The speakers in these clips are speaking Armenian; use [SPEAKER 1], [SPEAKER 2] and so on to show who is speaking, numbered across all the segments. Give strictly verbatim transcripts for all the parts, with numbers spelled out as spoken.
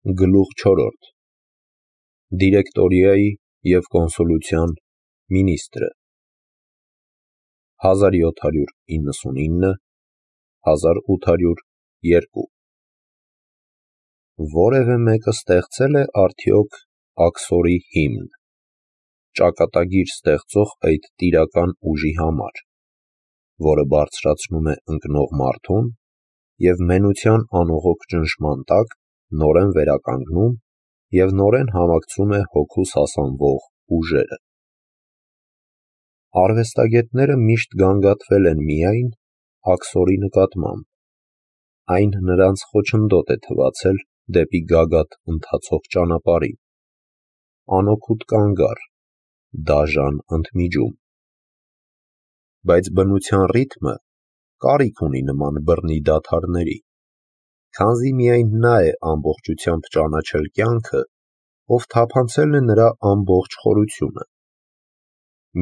[SPEAKER 1] Գլուխ չորրորդ Դիրեկտորիայի և կոնսուլության մինիստրը հազար յոթ հարյուր իննսունինը - հազար ութ հարյուր երկու Որևէ մեկը ստեղծե՞լ է արդյոք աքսորի հիմն, ճակատագիր ստեղծող այդ տիրական ուժի համար, որը բարձրացնում է ընկնող մարդուն և մենության անողոք ճնշման տակ նորեն վերականգնում և նորեն համակցում է հոգուս հասանվող ուժերը: Արվեստագետները միշտ գանգատվել են միայն աքսորի նկատմամբ, այն նրանց խոչընդոտ է թվացել դեպի գագաթ ընթացող ճանապարհին, անօգուտ կանգառ, դաժան ընդմիջում: Բայց բնության ռիթմը կարիք ունի նման բռնի դադարների, քանզի միայն նա է ամբողջությամբ ճանաչել կյանքը, ով թափանցել է նրա ամբողջ խորությունը: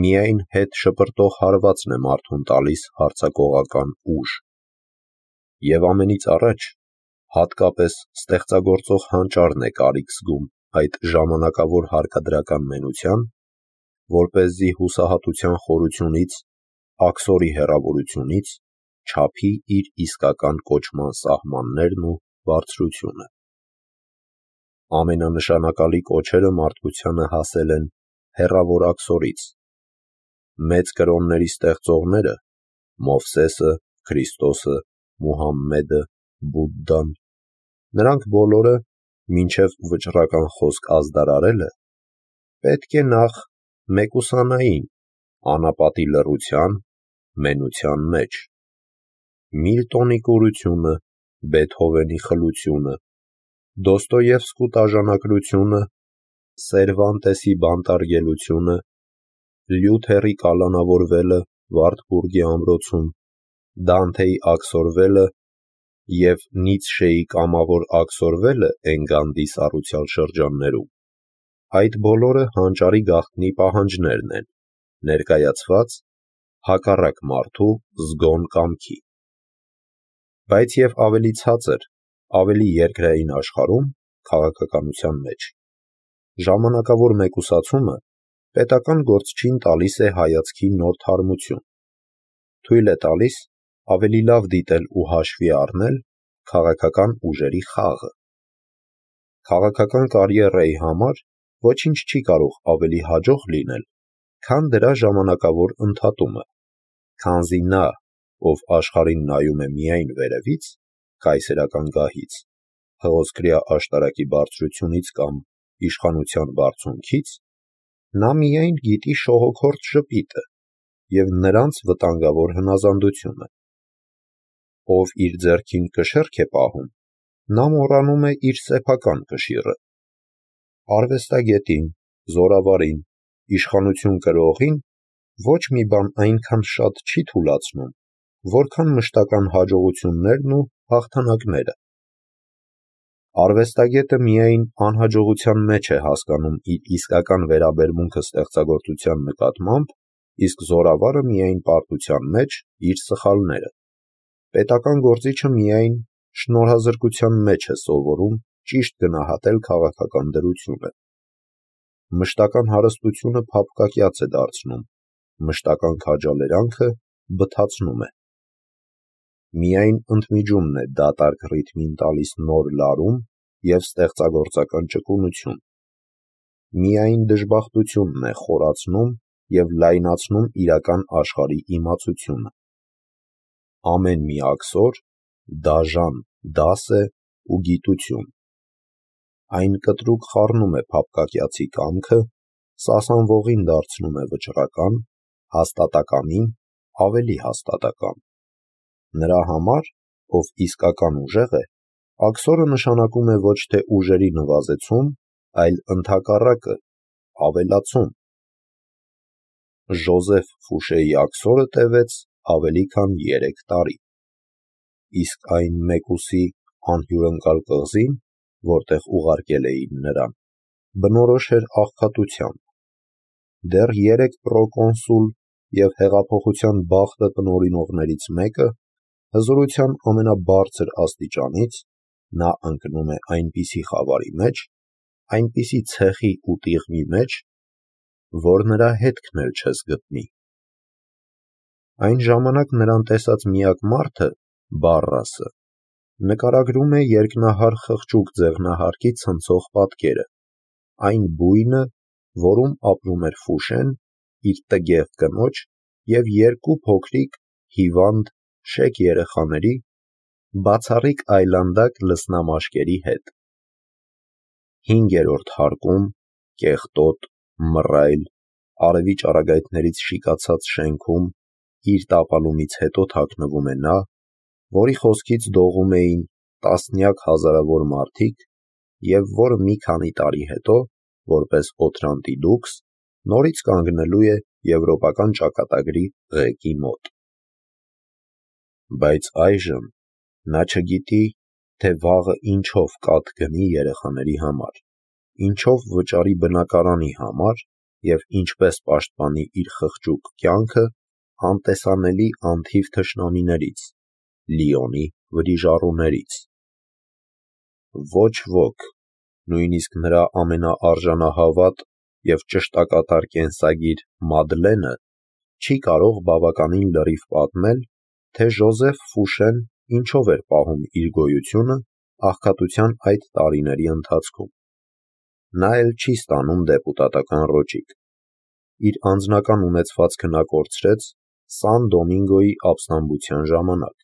[SPEAKER 1] Միայն հետ շպրտող հարվածն է մարդուն տալիս հարձակողական ուժ: Եվ ամենից առաջ հատկապես ստեղծագործող հանճարն է կարիք զգում այդ ժամանակավոր հարկադրական մենության, որպեսզի հուսահատության խորությունից, աքսորի հեռավորությունից չափի իր իսկական կոչման սահմաններն ու բարձրությունը: Ամենանշանակալի կոչերը մարդկությանը հասել են հեռավոր աքսորից: Մեծ կրոնների ստեղծողները՝ Մովսեսը, Քրիստոսը, Մուհամմեդը, Բուդդան, նրանք բոլորը, մինչև վճռական խոսք ազդարարելը, պետք է նախ մեկուսանային անապատի լռության, մենության մեջ: Միլտոնի կուրությունը, Բեթհովենի խլությունը, Դոստոևսկու տաժանակրությունը, Սերվանտեսի բանտարկելությունը, Լյութերի կալանավորվելը Վարդբուրգի ամրոցում, Դանթեի աքսորվելը և Նիցշեի կամավոր աքսորվելը Էնգանդի սառուցյալ շրջաններում, այդ բոլորը հանճարի գաղտնի պահանջներն են, ներկայացված հակառակ մարդու զգոն կամքի: Բայց և ավելի ցածր, ավելի երկրային աշխարհում, քաղաքականության մեջ, ժամանակավոր մեկուսացումը պետական գործչին տալիս է հայացքի նոր թարմություն, թույլ է տալիս ավելի լավ դիտել ու հաշվի առնել քաղաքական ուժերի խաղը: Քաղաքական կարիերայի համար ոչինչ չի կարող ավելի հաջող լինել, քան դրա ժամանակավոր ընդհատումը, քանզի նա, ով աշխարհին նայում է միայն վերևից, կայսերական գահից, հղոսկրյա աշտարակի բարձրությունից կամ իշխանության բարձունքից, նա միայն գիտի շողոքորթ ժպիտը և նրանց վտանգավոր հնազանդությունը: Ով իր ձեռքին կշեռք է պահում, նա մոռանում է իր սեփական կշիռը: Արվեստագետին, զորավարին, իշխանություն կրողին ոչ մի բան այնքան շատ չի թուլացնում, որքան մշտական հաջողություններն ու հաղթանակները: Արվեստագետը միայն անհաջողության մեջ է հասկանում իր իսկական վերաբերմունքը ստեղծագործության նկատմամբ, իսկ զորավարը միայն պարտության մեջ իր սխալները: Պետական գործիչը միայն շնորհազրկության մեջ է սովորում ճիշտ գնահատել քաղաքական դրությունը: Մշտական հարստությունը փափկակյաց է դարձնում, մշտական քաջալերանքը բթացնում է: Միայն ընդմիջումն է դատարկ ռիթմին տալիս նոր լարում և ստեղծագործական ճկունություն: Միայն դժբախտությունն է խորացնում և լայնացնում իրական աշխարհի իմացությունը: Ամեն մի աքսոր դաժան դաս է ու գիտություն: Այն կտրուկ խառնում է փափկակյացի կամքը, սասանվողին դարձնում է վճռական, հաստատակամին ավելի հաստատակամ: Նրա համար, ով իսկական ուժեղ է, աքսորը նշանակում է ոչ թե ուժերի նվազեցում, այլ ընդհակառակը, ավելացում: Ժոզեֆ Ֆուշեի աքսորը տևեց ավելի քան երեք տարի: Իսկ այն մեկուսի անհյուրընկալ կղզին, որտեղ ուղարկել էին նրան, բնորոշ էր աղքատությամբ: Դեռ երեք պրոկոնսուլ և հեղափոխության բախտը տնօրինողներից մեկը հզորության ամենաբարձր աստիճանից նա ընկնում է այնպիսի խավարի մեջ, այնպիսի ցեխի ու տիղմի մեջ, որ նրա հետքն էլ չես գտնի։ Այն ժամանակ նրան տեսած միակ մարդը, Բարրասը, նկարագրում է երկնահար խղճուկ ձեղնահարկի ցնցող պատկերը, այն բույնը, որում ապրում էր Ֆուշեն իր տգեղ կնոջ և երկու փոքրիկ, հիվանդ, շեկ երեխաների, բացառիկ այլանդակ լսնամաշկերի հետ։ Հինգերորդ հարկում, կեղտոտ, մռայլ, արևի ճառագայթներից շիկացած շենքում իր տապալումից հետո թաքնվում է նա, որի խոսքից դողում էին տասնյակ հազարավոր մարդիկ և որը մի քանի տարի հետո, որպես Օթրանտի դուքս, նորից կանգնելու է եվրոպական ճակատագրի ղեկի մոտ։ Բայց այժմ նա չգիտի, թե վաղը ինչով կաթ գնի երեխաների համար, ինչով վճարի բնակարանի համար և ինչպես պաշտպանի իր խղճուկ կյանքը անտեսանելի անթիվ թշնամիներից, Լիոնի վրիժառուներից։ Ոչ ոք, նույնիսկ նրա ամենաարժանահավատ և ճշտակատար կենսագիր Մադլենը, չի կարող բավականին լրիվ պատմել, թե Ժոզեֆ Ֆուշեն ինչով էր պահում իր գոյությունը աղքատության այդ տարիների ընթացքում։ Նա էլ չի ստանում դեպուտատական ռոճիկ։ Իր անձնական ունեցվածքը նա կորցրեց Սան Դոմինգոյի ապստամբության ժամանակ։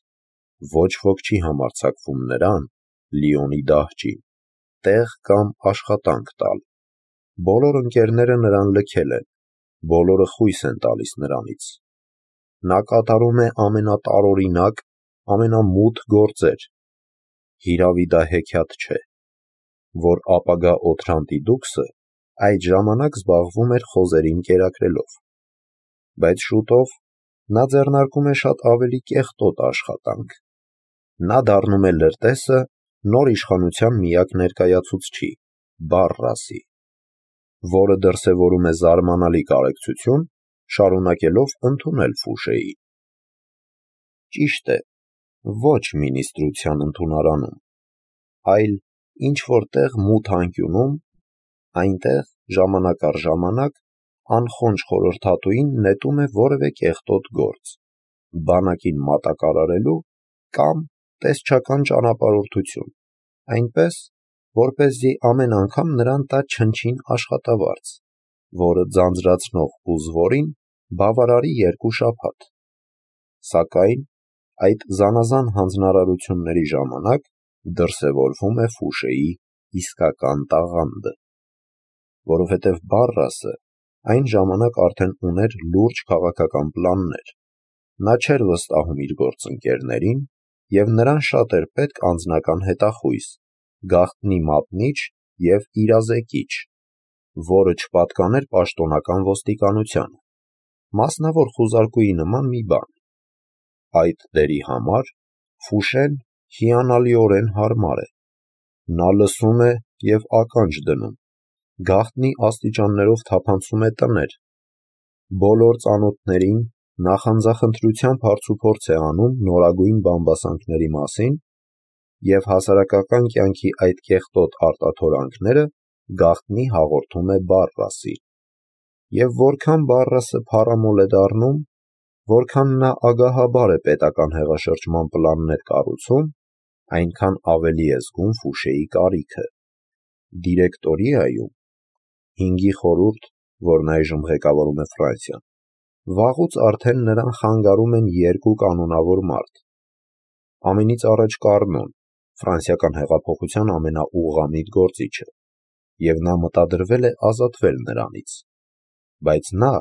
[SPEAKER 1] Ոչ ոք չի համարձակվում նրան, Լիոնի դահճին, տեղ կամ աշխատանք տալ։ Բոլոր ընկերները նրան լքել են, բոլորը խույս են տալիս նրանից։ Նա կատարում է ամենատարօրինակ, ամենամութ գործեր։ Հիրավի դա հեքիաթ չէ, որ ապագա Օթրանտի դուքսը այդ ժամանակ զբաղվում էր խոզերին կերակրելով։ Բայց շուտով նա ձեռնարկում է շատ ավելի կեղտոտ աշխատանք։ Նա դառնում է լրտեսը նոր իշխանության միակ ներկայացուցչի՝ Բարրասի, որը դրսևորում է զարմանալի կարեկցություն, շարունակելով ընդունել Ֆուշեին։ Ճիշտ է, ոչ մինիստրության ընդունարանում, այլ ինչ-որ տեղ մութ անկյունում, այնտեղ ժամանակ առ ժամանակ անխոնջ խորհրդատուին նետում է որևէ կեղտոտ գործ, բանակին մատակարարելու կամ տեսչական ճանապարհորդություն, այնպես, որպեսզի ամեն անգամ նրան տա չնչին աշխատավարձ, որը ձանձրացնող ու զվորին բավարարի երկու շաբաթ։ Սակայն այդ զանազան հանձնարարությունների ժամանակ դրսևորվում է Ֆուշեի իսկական տաղանդը, որովհետև Բարրասը այն ժամանակ արդեն ուներ լուրջ քաղաքական պլաններ։ Նա չէր վստահում իր գործընկերներին և նրան շատ էր պետք անձնական հետախույզ, գաղտնի մատնիչ և իրազեկիչ, որը չպատկաներ պաշտոնական ոստիկանությանը, մասնավոր խուզարկուի նման մի բան։ Այդ դերի համար Ֆուշեն հիանալիորեն հարմար է։ Նա լսում է և ականջ դնում, գաղտնի աստիճաններով թափանցում է տներ, բոլոր ծանոթներին նախանձախնդրությամբ հարցուփորձ է անում նորագույն բամբասանքների մասին և հասարակական կյանքի այդ կեղտոտ արտաթորանքները գաղտնի հաղորդում է Բարրասին։ Եվ որքան Բարրասը փառամոլ է դառնում, որքան նա ագահաբար է պետական հեղաշրջման պլաններ կառուցում, այնքան ավելի է զգում Ֆուշեի կարիքը։ Դիրեկտորիայում, հինգի խորհուրդ, որն այժմ ղեկավարում է Ֆրանսիան, վաղուց արդեն նրան խանգարում են երկու կանոնավոր մարդ։ Ամենից առաջ Կառնոն, ֆրանսիական հեղափոխության ամենաուղղամիտ գործիչը, և նա մտադրվել է ազատվել նրանից։ Բայց նա,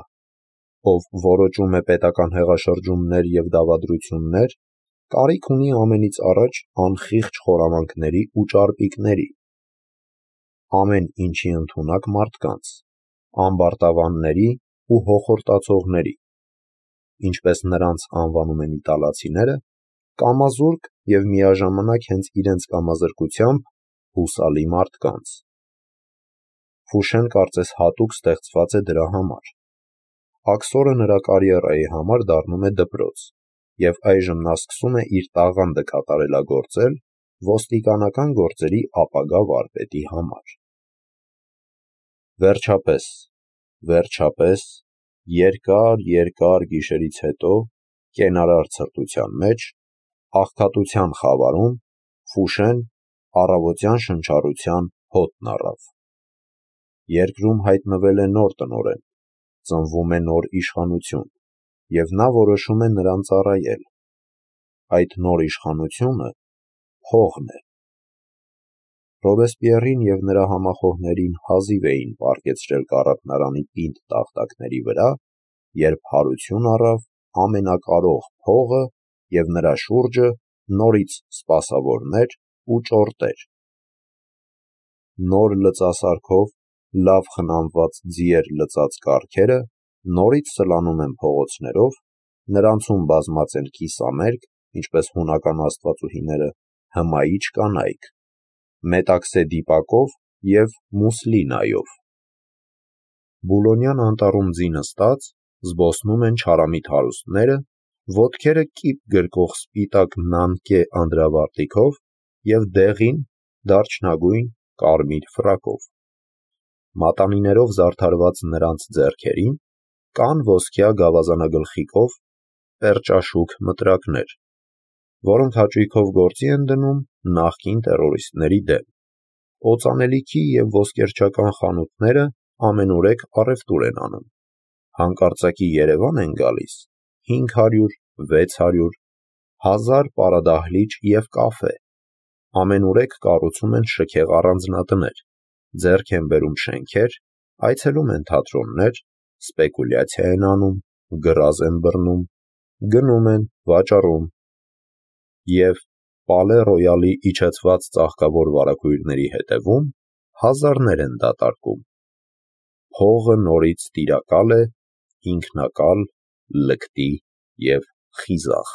[SPEAKER 1] ով որոճում է պետական հեղաշրջումներ և դավադրություններ, կարիք ունի ամենից առաջ անխիղճ խորամանկների ու ճարպիկների, ամեն ինչի ընդունակ մարդկանց, ամբարտավանների ու հոխորտացողների, ինչպես նրանց անվանում են իտալացիները, կամազուրկ և միաժամանակ հենց իրենց կամազրկությամբ հուսալի մարդկանց։ Ֆուշեն կարծես հատուկ ստեղծված է դրա համար։ Աքսորը նրա կարիերայի համար դառնում է դպրոց, և այժմ նա սկսում է իր տաղանդը կատարելագործել ոստիկանական գործերի ապագա վարպետի համար։ Վերջապես, վերջապես, երկար, երկար գիշերից հետո, կենարար ցրտության մեջ, աղքատության խավարում, Ֆուշեն առավոտյան շնչառության հոտն առավ։ Երկրում հայտնվել է նոր տնօրեն, ծնվում է նոր իշխանություն, և նա որոշում է նրան ծառայել։ Այդ նոր իշխանությունը փողն է։ Ռոբեսպիեռին և նրա համախոհներին հազիվ էին պառկեցրել կառափնարանի պինդ տախտակների վրա, երբ հարություն առավ ամենակարող փողը և նրա շուրջը նորից սպասավորներ ու ճորտեր։ Նոր լծասարքով լավ խնամված ձիեր լծած կառքերը նորից սլանում են փողոցներով, նրանցում բազմած են կիսամերկ, ինչպես հունական աստվածուհիները, հմայիչ կանայք, մետաքսե դիպակով և մուսլինայով։ Բուլոնյան անտառում ձի նստած, զբոսնում են չարամիտ հարուստները, ոտքերը կիպ գրկող սպիտակ նանքե անդրավարտիքով և դեղին, դարչնագույն, կարմիր ֆրակով։ Մատանիներով զարդարված նրանց ձեռքերին կան ոսկյա գավազանագլխիկով պերճաշուք մտրակներ, որոնք հաճույքով գործի են դնում նախկին տերորիստների դեմ։ Օծանելիքի և ոսկերչական խանութները ամենուրեք առևտուր են անում։ Հանկարծակի Երևան են գալիս հինգ հարյուր, վեց հարյուր, հազար պարադահլիճ և կաֆե, ամենուրեք կառուցում են շքեղ առանձնատներ, ձեռք են բերում շենքեր, այցելում են թատրոններ, սպեկուլյացիա են անում, գրազ են բռնում, գնում են, վաճառում և Պալե Ռոյալի իջեցված ծաղկավոր վարագույրների հետևում հազարներ են դատարկում։ Փողը նորից տիրակալ է, ինքնակալ, լկտի և խիզախ։